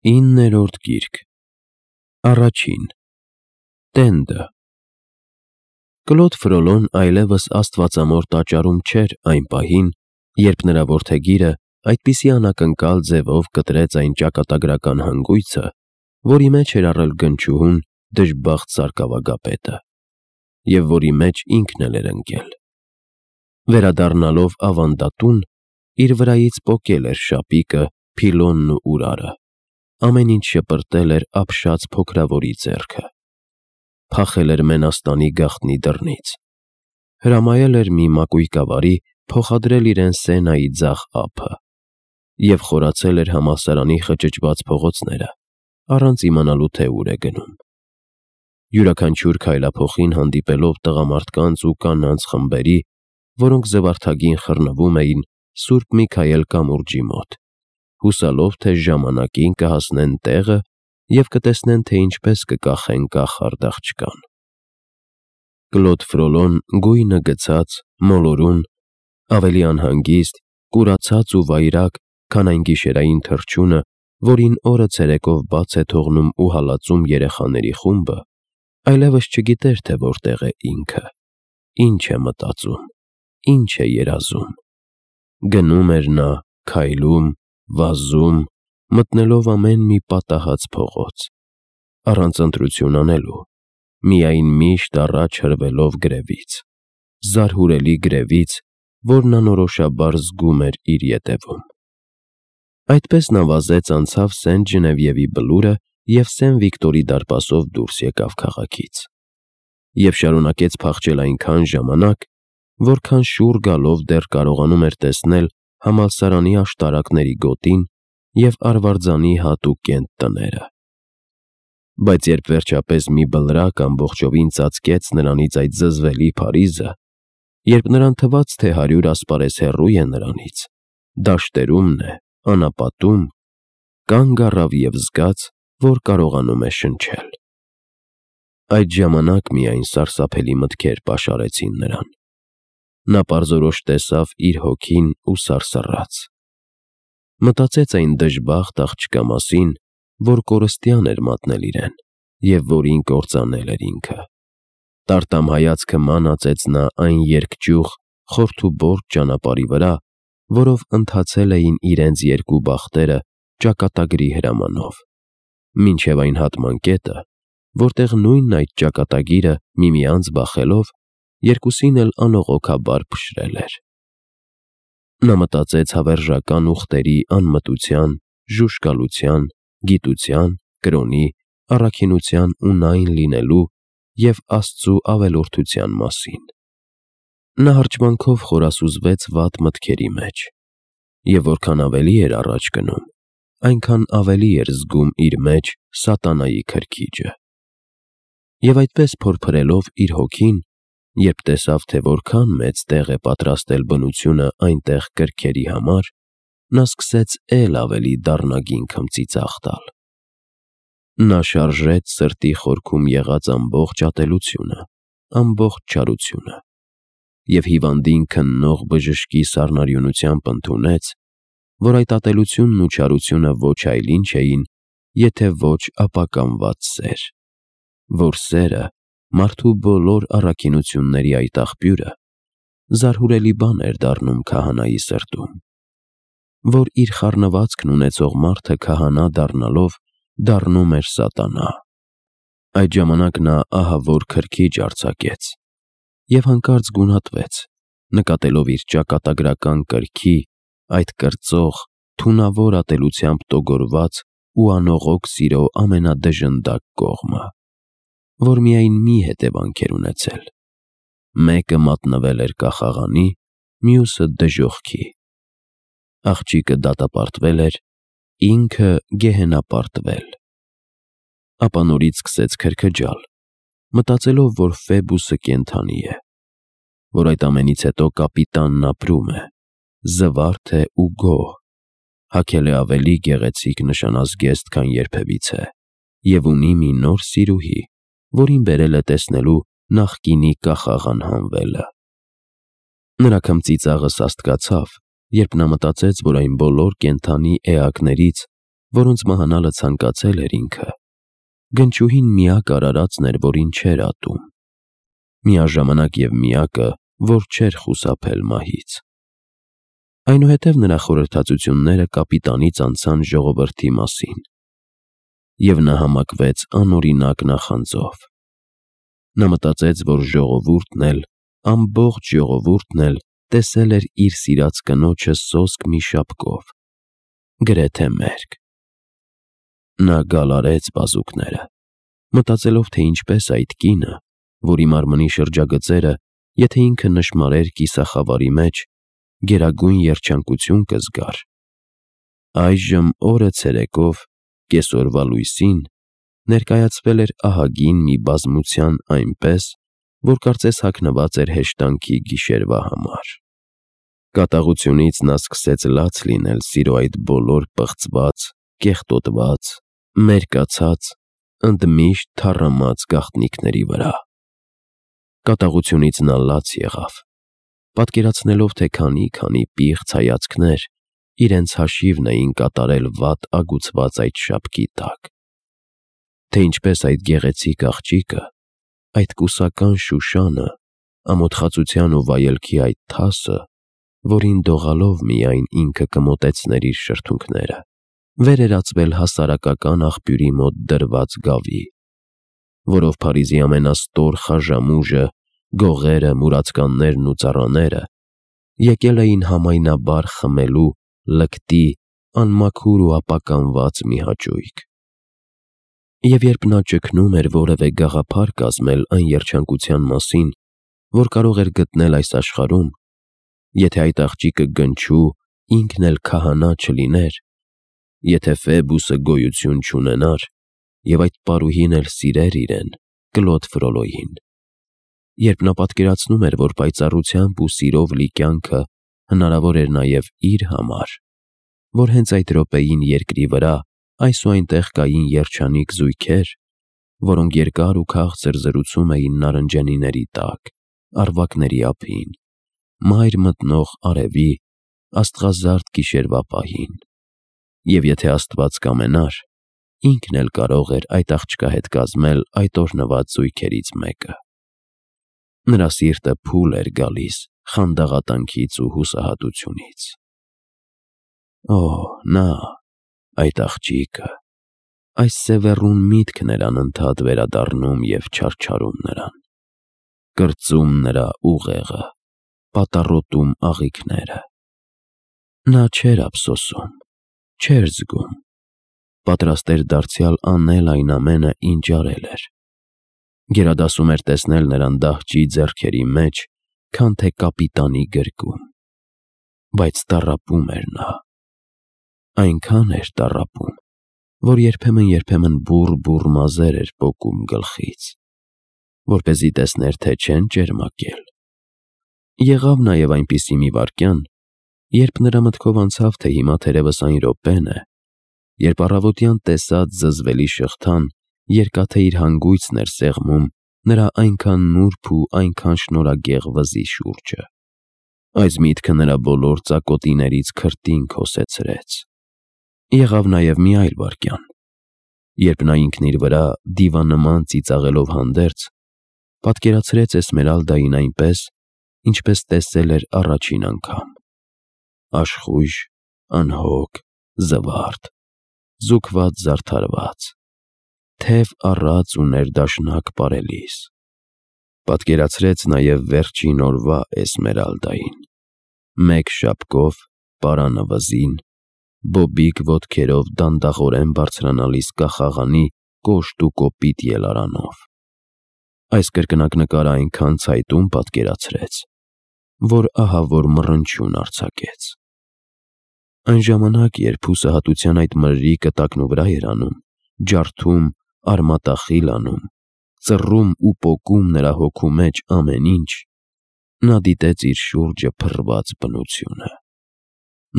9-րդ գիրք Առաջին Տենդը Կլոդ Ֆրոլոն այլևս աստվածամոր տաճարում չէր այն պահին, երբ նրա որդեգիրը այդպիսի անակնկալ ձևով կտրեց այն ճակատագրական հանգույցը, որի մեջ էր առել գնչուհուն դժբախտ սարկավագապետը, և որի մեջ ինքն էլ էր ընկել։ Վերադառնալով ավանդատուն, իր վրայից պոկել էր շապիկը, փիլոնն ու ուրարը, ամեն ինչ շպրտել էր ապշած փոքրավորի ձեռքը, փախել էր մենաստանի գաղտնի դռնից, հրամայել էր մի մակույկավարի փոխադրել իրեն Սենայի ձախ ափը և խորացել էր համալսարանի խճճված փողոցները, առանց իմանալու, թե ուր է գնում։ Յուրաքանչյուր քայլափոխին հանդիպելով տղամարդկանց ու կանանց խմբերի, որոնք զվարթագին խռնվում էին Սուրբ Միքայել կամուրջի մոտ, հուսալով, թե ժամանակին կհասնեն տեղը և կտեսնեն, թե ինչպես կկախեն կախարդ աղջկան։ Կլոդ Ֆրոլոն գույնը գցած, մոլորուն, ավելի անհանգիստ, կուրացած ու վայրագ, քան այն գիշերային թռչունը, որին օրը ցերեկով բաց է թողնում ու հալածում երեխաների խումբը, այլևս չգիտեր, թե որտեղ է ինքը, ինչ է մտածում, ինչ է երազում։ Գնում էր նա, քայլում, վազում, մտնելով ամեն մի պատահած փողոց, առանց ընտրություն անելու, միայն միշտ առաջ հրվելով գրևից, զարհուրելի գրևից, որն անորոշաբար զգում էր իր ետևում։ Այդպես նա վազեց անցավ Սենտ Ժնևիևի բլուրը և Սեն Վիկտորի դարպասով դուրս եկավ քաղաքից, և շարունակեց փախչել այնքան ժամանակ, որքան շուռ գալով դեռ կարողանում էր տեսնել համալսարանի աշտարակների գոտին և Արվարձանի հատուկ կենտ տները։ Բայց երբ վերջապես մի բլրակ ամբողջովին ծածկեց նրանից այդ զզվելի Փարիզը, երբ նրան թվաց, թե 100 ասպարեզ հեռու է նրանից, դաշտերումն է, անապատում, կանգ առավ և զգաց, որ կարողանում է շնչել։ Այդ ժամանակ միայն սարսափելի մտքեր պաշարեցին նրան։ Նա պարզորոշ տեսավ իր հոգին ու սարսռաց։ Մտածեց այն դժբախտ աղջկա մասին, որ կորստյան էր մատնել իրեն և որին կործանել էր ինքը։ Տարտամ հայացքը մանածեց նա այն երկճյուղ, խորթուբորդ ճանապարհի վրա, որով ընթացել էին իրենց երկու բախտերը ճակատագրի հրամանով, մինչև այն հատման կետը, որտեղ նույն այդ ճակատագիրը միմյանց բախելով, երկուսին էլ անողոքաբար փշրել էր։ Նա մտածեց հավերժական ուղտերի անմտության, ժուժկալության, գիտության, կրոնի, առաքինության ու նայն լինելու և Աստծու ավելորդության մասին։ Նա հրճվանքով խորասուզվեց վատ մտքերի մեջ, և որքան ավելի էր առաջ գնում, այնքան ավելի էր զգում իր մեջ սատանայի քրքիջը։ Եվ այդպես փորփրելով իր հոգին, երբ տեսավ, թե որքան մեծ տեղ է պատրաստել բնությունը այնտեղ կրքերի համար, նա սկսեց էլ ավելի դառնագին քմծիծաղ տալ։ Նա շարժեց սրտի խորքում եղած ամբողջ ատելությունը, ամբողջ չարությունը և հիվանդին քննող բժշկի սառնարյունությամբ ընդունեց, որ այդ ատելությունն ու չարությունը ոչ այլ ինչ էին, եթե ոչ ապականված սեր, որ սերը, մարդու բոլոր առաքինությունների այդ աղբյուրը, զարհուրելի բան էր դառնում քահանայի սրտում, որ իր խառնվածքն ունեցող մարդը քահանա դառնալով դառնում էր սատանա։ Այդ ժամանակ նա ահավոր քրքիջ արձակեց և հանկարծ գունատվեց, նկատելով իր ճակատագրական կրքի այդ կրծող, թունավոր ատելությամբ տոգորված ու անողոք սիրո ամենադժնդակ կողմը, որ միայն մի հետևանք էր ունեցել. մեկը մատնվել էր կախաղանի, մյուսը դժոխքի։ Աղջիկը դատապարտվել էր, ինքը գեհենապարտվել։ Ապա նորից սկսեց քրքջալ, մտածելով, որ Ֆեբուսը կենդանի է, որ այդ ամենից հետո կապիտանն ապրում է, զվարթ է ու գոհ, հագել է ավելի գեղեցիկ նշանազգեստ, քան երբևիցե, և ունի մի նոր սիրուհի, որին բերել է տեսնելու նախկինի կախաղ անհանվելը։ Նրա քմծիծաղը սաստկացավ, երբ նա մտածեց, որ այն բոլոր կենդանի էակներից, որոնց մահանալը ցանկացել էր ինքը, գնչուհին միակ արարածն էր, որին չէր ատում, միաժամանակ և միակը, որ չէր խուսափել մահից։ Այնուհետև նրա խորհրդածությունները կապիտանից անցան ժողովրդի մասին, և նա համակվեց անօրինակ նախանձով։ Նա մտածեց, որ ժողովուրդն էլ, ամբողջ ժողովուրդն էլ տեսել էր իր սիրած կնոջը սոսկ մի շապկով, գրեթե մերկ։ Նա գալարեց բազուկները, մտածելով, թե ինչպես այդ կինը, որի մարմնի շրջագծերը, եթե ինքը նշմարեր կիսախավարի մեջ, գերագույն երջանկություն կզգար։ Այժմ օրը ցերեկով, կեսօրվա լույսին, ներկայացվել էր ահագին մի բազմության այնպես, որ կարծես հագնված էր հեշտանքի գիշերվա համար։ Կատաղությունից նա սկսեց լաց լինել սիրո այդ բոլոր պղծված, կեղտոտված, մերկացած, ընդմիշտ թառամած գաղտնիքների վրա։ Կատաղությունից նա լաց եղավ, պատկերացնելով, թե քանի պիղծ հայացքներ իրենց հաշիվն էին կատարել վատ ագուցված այդ շապկի տակ, թե ինչպես այդ գեղեցիկ աղջիկը, այդ կուսական Շուշանը, ամոթխածության ու վայելքի այդ թասը, որին դողալով միայն ինքը կմոտեցներ իր շրթունքները, վերերացվել հասարակական աղբյուրի մոտ դրված գավի, որով Փարիզի ամենաստոր խաժամուժը, գողերը, մուրացկաններն ու ծառաները եկել էին համայնաբար խմելու լկտի, անմաքուր ու ապականված մի հաճույք։ Եվ երբ նա ճգնում էր որևէ գաղափար կազմել այն երջանկության մասին, որ կարող էր գտնել այս աշխարհում, եթե այդ աղջիկը գնչու, ինքն էլ քահանա չլիներ, եթե Ֆեբուսը գոյություն չունենար, և այդ պարուհին էլ սիրեր իրեն, Կլոդ Ֆրոլոյին, երբ նա պատկերացնում էր, որ պայծառությամբ ու սիրով լի կյանքը հնարավոր էր նաև իր համար, որ հենց այդ րոպեին երկրի վրա այս ու այնտեղ կային երջանիկ զույգեր, որոնք երկար ու քաղցր զրուցում էին նարնջենիների տակ, առվակների ափին, մայր մտնող արևի, աստղազարդ գիշերվա պահին, և եթե Աստված կամենար, ինքն էլ կարող էր այդ աղջկա հետ կազմել այդ օրհնված զույգերից մեկը։ Նրա սիրտը փուլ էր գալիս խանդաղատանքից ու հուսահատությունից։ Օ, նա, այդ աղջիկը, այս սևեռուն միտքն էր անընդհատ վերադառնում և չարչարում նրան, կրծում նրա ուղեղը, պատառոտում աղիքները։ Նա չէր ափսոսում, չէր զգում, պատրաստ էր դարձյալ անել այն ամենը, ինչ արել էր, գերադասում էր տեսնել նրան դահճի ձեռքերի մեջ, քան թե կապիտանի գրկում, բայց տառապում էր նա, այնքան էր տառապում, որ երբեմն բուռ մազեր էր պոկում գլխից, որպեսզի տեսներ, թե չեն ճերմակել։ Եղավ նաև այնպիսի մի վայրկյան, երբ նրա մտքով անցավ, թե հիմա թերևս այն րոպեն է, երբ առավոտյան տեսած զզվելի շղթան երկաթե իր հանգույցն էր սեղմում նրա այնքան նուրբ ու այնքան շնորհագեղ վզի շուրջը։ Այս միտքը նրա բոլոր ծակոտիներից քրտինք հոսեցրեց։ Եղավ նաև մի այլ վայրկյան, երբ նա ինքն իր վրա դիվանման ծիծաղելով հանդերձ, պատկերացրեց Էսմերալդային այնպես, ինչպես տեսել էր առաջին անգամ. աշխույժ, անհոգ, զվարթ, զուգված զարդարված, թև առած ու ներդաշնակ պարելիս։ Պատկերացրեց նաև վերջին օրվա Էսմերալդային, մեկ շապկով, պարանը վզին, բոբիկ ոտքերով դանդաղորեն բարձրանալիս կախաղանի կոշտ ու կոպիտ ելարանով։ Այս կրկնակ նկարը այնքան ցայտուն պատկերացրեց, որ ահավոր մռնչյուն արձակեց։ Այն ժամանակ, երբ հուսահատության այդ մրրիկը տակնու վրա էր անում, ջարդում, արմատախիլ անում, ծռում ու պոկում նրա հոգու մեջ ամեն ինչ, նա դիտեց իր շուրջը փռված բնությունը։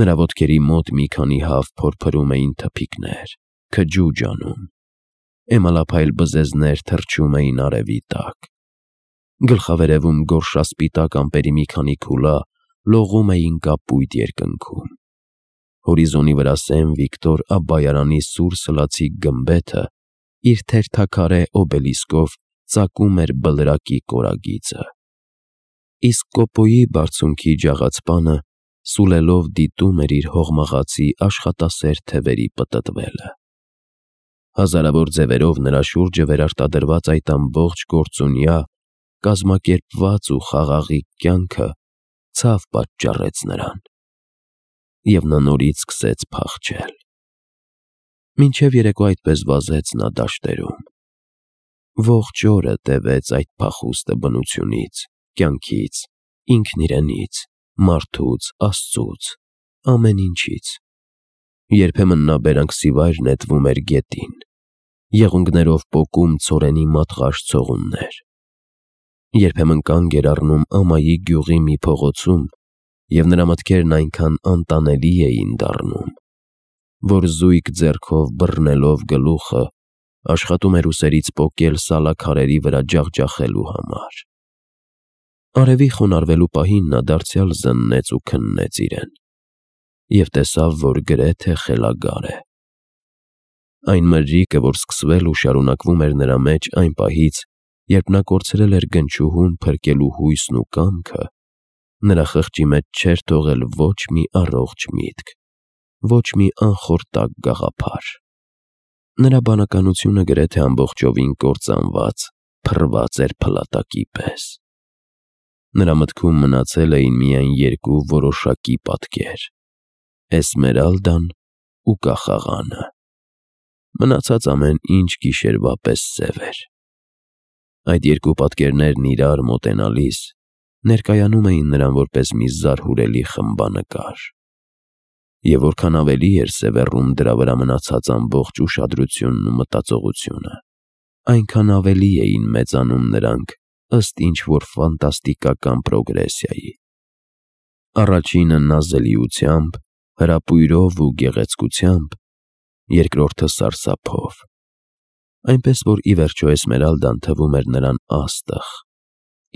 Նրա ոտքերի մոտ մի քանի հավ փորփրում էին թփիկներ, քջուջ անում, էմալափայլ բզեզներ թռչում էին արևի տակ, գլխավերևում գորշասպիտակ ամպերի մի քանի քուլա լողում էին կապույտ երկնքում, Հորիզոնի վրա Սեն Վիկտոր Աբբայարանի սուր սլացիկ գմբեթը իր թերթաքարե օբելիսկով ծակում էր բլրակի կորագիծը։ Իսկ Կոպոյի բարձունքի ջաղացպանը սուլելով դիտում էր իր հողմաղացի աշխատասեր թևերի պտտվելը։ Հազարավոր ձևերով նրա շուրջը վերարտադրված այդ ամբողջ գործունյա, կազմակերպված ու խաղաղիկ կյանքը ցավ պատճառեց նրան, և նա նորից սկսեց փախչել։ Մինչև երեկո այդպես վազեց նա դաշտերում։ Ողջ օրը տևեց այդ փախուստը բնությունից, կյանքից, ինքն իրենից, մարդուց, Աստծուց, ամեն ինչից։ Երբեմն նա բերանքսիվայր նետվում էր գետին, եղունգներով պոկում ցորենի մատղաշ ցողուններ։ Երբեմն կանգ էր առնում ամայի գյուղի մի փողոցում, և նրա մտքերն այնքան անտանելի էին դառնում, որ զույգ ձեռքով բռնելով գլուխը աշխատում էր ուսերից պոկել սալաքարերի վրա ջախջախելու համար։ Արևի խոնարհվելու պահին նա դարձյալ զննեց ու քննեց իրեն և տեսավ, որ գրեթե խելագար է։ Այն մրրիկը, որ սկսվել ու շարունակվում էր նրա մեջ այն պահից, երբ նա կորցրել էր գնչուհուն փրկելու հույսն ու կամքը, նրա խղճի մեջ չէր թողել ոչ մի առողջ միտք, ոչ մի անխորտակ գաղափար։ Նրա բանականությունը գրեթե ամբողջովին կործանված, փռված էր փլատակի պես։ Նրա մտքում մնացել էին միայն երկու որոշակի պատկեր՝ Էսմերալդան ու կախաղանը։ Մնացած ամեն ինչ գիշերվա պես սև էր։ Այդ երկու պատկերներն իրար մոտենալիս ներկայանում էին նրան որպես մի զարհուրելի խմբանկար։ Եվ որքան ավելի էր սևեռում դրա վրա մնացած ամբողջ ուշադրությունն ու մտածողությունը, այնքան ավելի էին մեծանում նրանք ըստ ինչ-որ ֆանտաստիկական պրոգրեսիայի։ Առաջինը նազելիությամբ, հրապույրով ու գեղեցկությամբ, երկրորդը սարսափով, այնպես որ ի վերջո Էսմերալդան թվում էր նրան աստղ,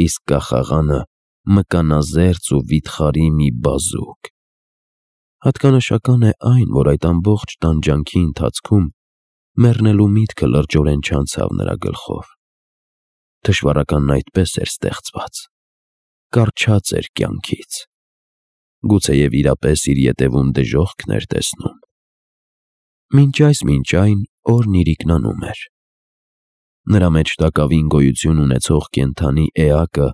իսկ կախաղանը մկանազերծ ու վիթխարի մի բազուկ։ Հատկանշական է այն, որ այդ ամբողջ տանջանքի ընթացքում մեռնելու միտքը լրջորեն չանցավ նրա գլխով։ Թշվառականն այդպես էր ստեղծված, կառչած էր կյանքից, գուցեև իրապես իր ետևում դժոխքն էր տեսնում։ Մինչ այն օրն իրիկնանում էր։ Նրա մեջ տակավին գոյություն ունեցող կենդանի էակը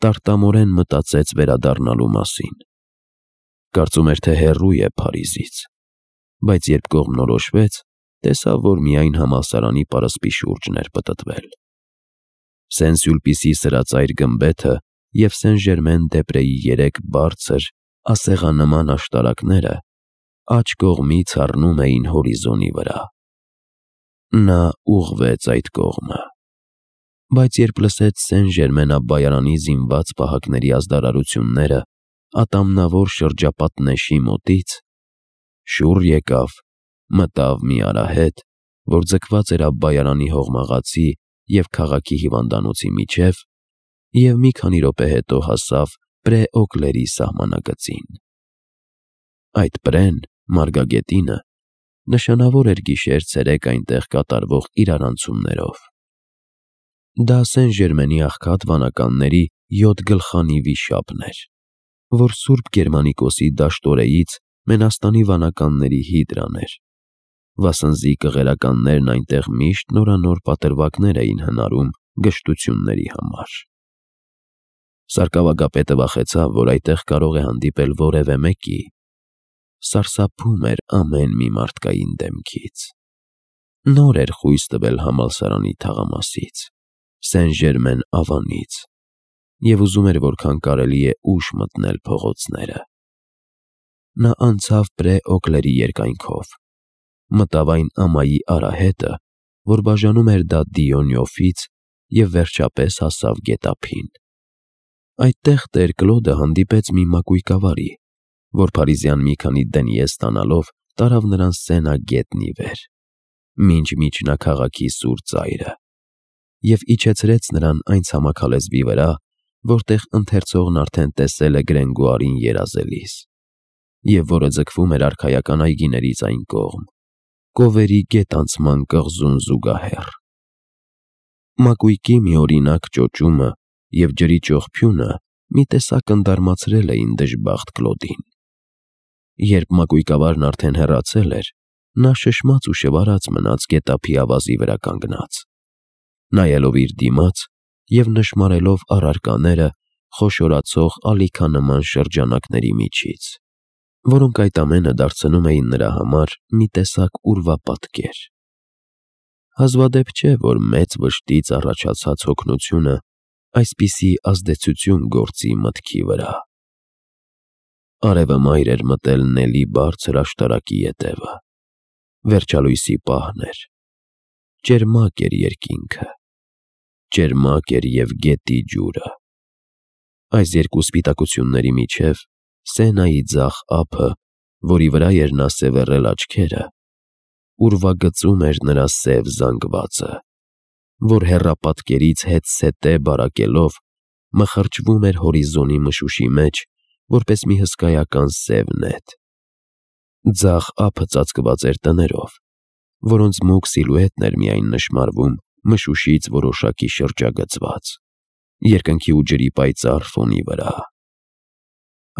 տարտամորեն մտածեց վերադառնալու մասին։ Կարծում էր, թե հեռու է Փարիզից, բայց երբ կողմնորոշվեց, տեսավ, որ միայն համալսարանի պարսպի շուրջն էր պտտվել։ Սեն-Սյուլպիսի սրածայր գմբեթը և Սեն-Ժերմեն-դե-Պրեի 3 բարձր, ասեղանման աշտարակները աջ կողմից առնում էին հորիզոնի վրա։ Նա ուղղվեց այդ կողմը, բայց երբ լսեց Սեն-Ժերմեն Աբբայարանի զինված պահակների ազդարարությունները ատամնավոր շրջապատնեշի մոտից, շուռ եկավ, մտավ մի արահետ, որ ձգված էր Աբբայարանի հողմաղացի և քաղաքի հիվանդանոցի միջև, և մի քանի րոպե հետո հասավ Պրե-Օկլերի սահմանագծին։ Այդ Պրեն, մարգագետինը, նշանավոր էր գիշեր-ցերեկ այնտեղ կատարվող իրարանցումներով։ Դա Սեն-Ժերմենի աղքատ վանականների 7 գլխանի վիշապն էր, որ Սուրբ Գերմանիկոսի դաշտորեից Մենաստանի վանականների հիդրան էր, վասնզի կղերականներն այնտեղ միշտ նորանոր պատրվակներ էին հնարում գժտությունների համար։ Սարկավագապետը վախեցավ, որ այդտեղ կարող է հանդիպել որևէ մեկի, սարսափում էր ամեն մի մարդկային դեմքից։ Նոր էր խույս տվել համալսարանի թաղամասից, Սեն-Ժերմեն ավանից, և ուզում էր որքան կարելի է ուշ մտնել փողոցները։ Նա անցավ Պրե-Օկլերի երկայնքով, մտավ այն ամայի արահետը, որ բաժանում էր դա Դիոնյոֆից, և վերջապես հասավ գետափին։ Այդտեղ տեր Կլոդը հանդիպեց մի մակույկավարի, որ փարիզյան մի քանի դենյե ստանալով տարավ նրան Սենա գետնի վեր, մինչ միջնակաղաքի սուր ծայրը, և իջեցրեց նրան այն ցամաքալեզվի վրա, որտեղ ընթերցողն արդեն տեսել է Գրենգուարին երազելիս։ և որը ձգվում էր արքայական այգիներից այն կողմ, կովերի գետանցման կղզուն զուգահեռ։ Մակույկի մի օրինակ ճոճումը և ջրի ճողփյունը մի տեսակ ընդարմացրել էին դժբախտ Կլոդին։ Երբ մակույկավարն արդեն հեռացել էր, նա շշմած ու շվարած մնաց գետափի ավազի վրա կանգնած, նայելով իր դիմաց և նշմարելով առարկաները խոշորացող ալիքանման շրջանակների միջից, որոնք այդ ամենը դարձնում էին նրա համար մի տեսակ ուրվապատկեր։ Հազվադեպ չէ, որ մեծ վշտից առաջացած հոգնությունը այսպիսի ազդեցություն գործի մտքի վրա։ Արևը մայր էր մտել Նելի բարձր աշտարակի ետևը։ Վերջալույսի պահն էր։ Ճերմակ էր երկինքը, ճերմակ էր և գետի ջուրը։ Այս երկու սպիտակությունների միջև Սենայի ձախ ափը, որի վրա էր նա սևեռել աչքերը, ուրվագծում էր նրա սև զանգվածը, որ հեռապատկերից հետզհետե բարակելով մխրճվում էր հորիզոնի մշուշի մեջ, որպես մի հսկայական սև նետ։ Ձախ ափը ծածկված էր տներով, որոնց մուգ սիլուետն էր միայն նշմարվում մշուշից որոշակի շրջագծված, երկնքի ու ջրի պայծառ ֆոնի վրա։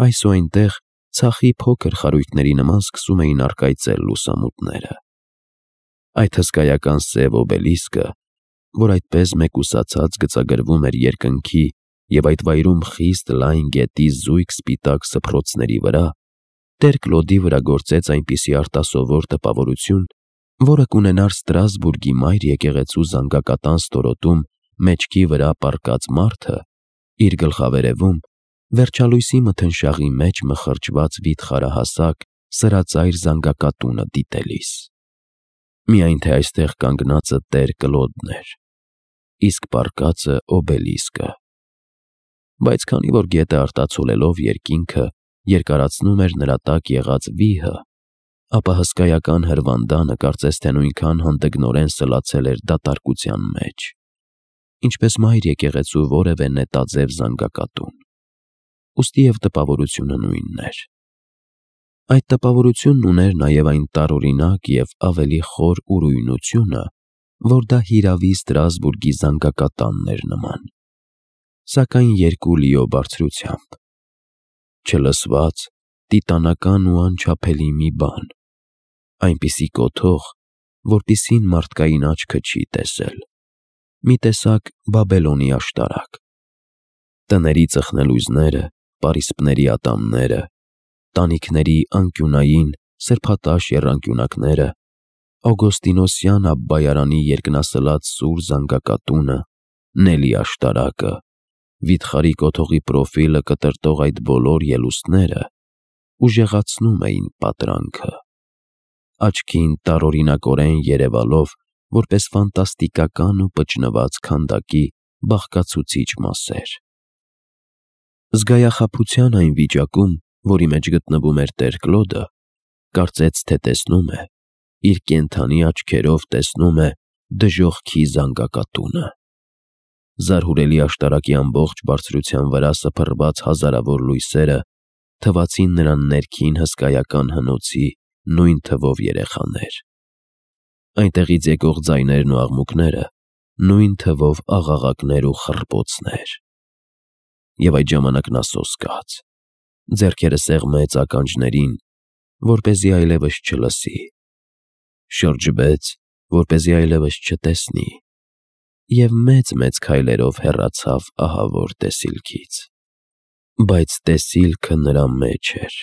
Այս ու այնտեղ ցախի փոքր խարույկների նման սկսում էին առկայծել լուսամուտները։ Այդ հսկայական սև օբելիսկը, որ այդպես մեկուսացած գծագրվում էր երկնքի և այդ վայրում խիստ լայն գետի զույգ սպիտակ սփռոցների վրա, Տեր Կլոդի վրա գործեց այնպիսի արտասովոր տպավորություն, որը կունենար Ստրասբուրգի մայր եկեղեցու զանգակատան ստորոտում մեջքի վրա պառկած մարդը իր գլխավերևում վերջալույսի մթնշաղի մեջ մխրճված վիթխարահասակ սրածայր զանգակատունը դիտելիս։ Միայն թե այստեղ կանգնածը Տեր Կլոդն էր, իսկ պառկածը օբելիսկը։ Բայց քանի որ գետը արտացոլելով երկինքը երկարացնում էր նրա տակ եղած վիհը, ապա հսկայական հրվանդանը կարծես թե նույնքան հանդգնորեն սլացել էր դատարկության մեջ, ինչպես մայր եկեղեցու որևէ նետաձև զանգակատուն, ուստի և տպավորությունը նույնն էր։ Այդ տպավորությունն ուներ նաև այն տարօրինակ և ավելի խոր ուրույնությունը, որ դա հիրավի Ստրասբուրգի զանգակատանն էր նման, սակայն երկու լիո բարձրությամբ, չլսված, տիտանական ու անչափելի մի բան, այնպիսի կոթող, որպիսին մարդկային աչքը չի տեսել, մի տեսակ Բաբելոնի աշտարակ։ Տների ծխնելույզները, պարիսպների ատամները, տանիքների անկյունային, սրբատաշ եռանկյունակները, Ագոստինոսյան Աբբայարանի երկնասլաց սուր զանգակատունը, Նելի աշտարակը, վիթխարի կոթողի պրոֆիլը կտրտող այդ բոլոր ելուստները ուժեղացնում էին պատրանքը, աչքին տարօրինակորեն երևալով որպես ֆանտաստիկական ու պճնված քանդակի բաղկացուցիչ մասեր։ Զգայախաբության այն վիճակում, որի մեջ գտնվում էր Տեր Կլոդը, կարծեց, թե տեսնում է, իր կենդանի աչքերով տեսնում է դժոխքի զանգակատունը։ Զարհուրելի աշտարակի ամբողջ բարձրության վրա սփռված հազարավոր լույսերը թվացին նրան ներքին հսկայական հնոցի նույն թվով երեխաներ։ Այնտեղից եկող ձայներն ու աղմուկները նույն թվով աղաղակներ ու խռպոցներ։ Եվ այդ ժամանակ նա սոսկաց, ձեռքերը սեղմեց ականջներին, որպեսզի այլևս չլսի, շրջվեց, որպեսզի այլևս չտեսնի, և մեծ-մեծ քայլերով հեռացավ ահավոր տեսիլքից։ Բայց տեսիլքը նրա մեջ էր,